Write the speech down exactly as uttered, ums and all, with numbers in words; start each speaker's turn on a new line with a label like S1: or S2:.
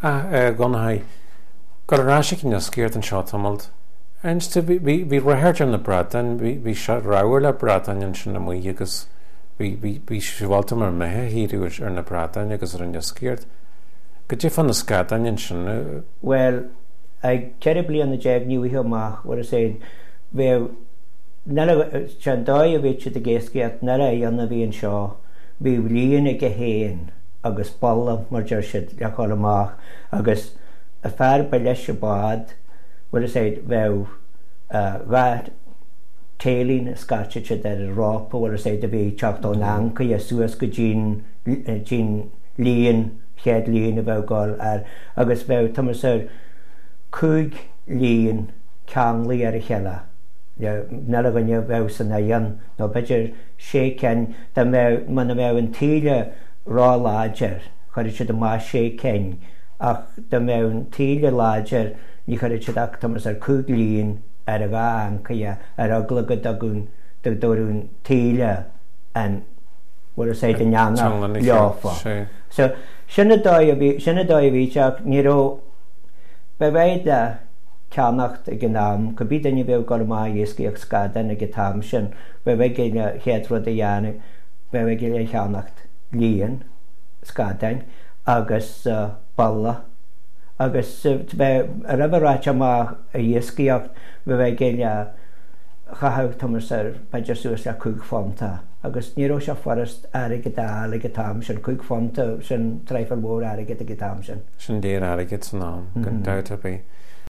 S1: Ach a Dhonnchaidh, gabh ar ais ag an iascaireacht anseo tamalt. Inis tú, bhí bhí ráchairt ar na bradáin, bhí bhí sé ramhar le bradáin ansin amuigh agus bhí bhí bhí sibhialta mar mbeithe a shaothrú ar na bradáin agus ar an iascaireacht. Goidé fá na scadáin ansin?
S2: Bhuel, ag ceithre bliana déag ní bhfaighfeá amach, bhfuil a fhios a'd, bheadh, níl a, sé an dóigh a bhíodh siad ag iascaireacht, níl a fhios a bhí anseo, bhíodh líon aige féin agus bolla, mar deir siad, le dhul amach agus an fear ba leis an bád, bhfuil a fhios a'd, bheadh dhá tae-line a scairteadh siad ar an rópa, bhfuil a fhios a'd, a bhí ag teacht ón ancaire suas go dtí'n, dtí'n líon, chéad líon a bheadh ag dul air agus bheadh, tá mé ar cúig líon ceanglaithe ar a chéile, le níl a dhuine a bheadh san oileán nó b'fhéidir sé cinn, dá mbeadh, muna mbeadh an taoille ró-láidir, chuirfeadh siad amach sé cinn, ach dá mbeadh an taoille láidir, ní chuirfeadh siad ach tá mé ar cúig líon ar a dhá ancaire, ar eagla go dtugadh, go dtabharfadh an taoille an, bhfuil a fhios a'd, in eanach leofa. So, sin an dóigh a bhí, sin an dóigh a bhí sé ach ní raibh, ba mhaith le ceannacht ag an am, cibé duine a bheadh ag dul amach ag iascaireacht scadán ag an t-am sin, bheadh aige an chéad rud a dhéanamh, bheadh aige le cheannacht líon scadáin agus bolla agus bheadh, a raibh a ráite amach ag iascaireacht, bheadh aige le chaitheamh tomhas ar b'fhéidir suas le cúig phunta agus ní raibh sé furast airgead a fháil ag an t-am sin, cúig phunta, sin traidhfil mhór airgid ag an t-am sin.
S1: Sin léar airgid san am, gan dabht ar bith.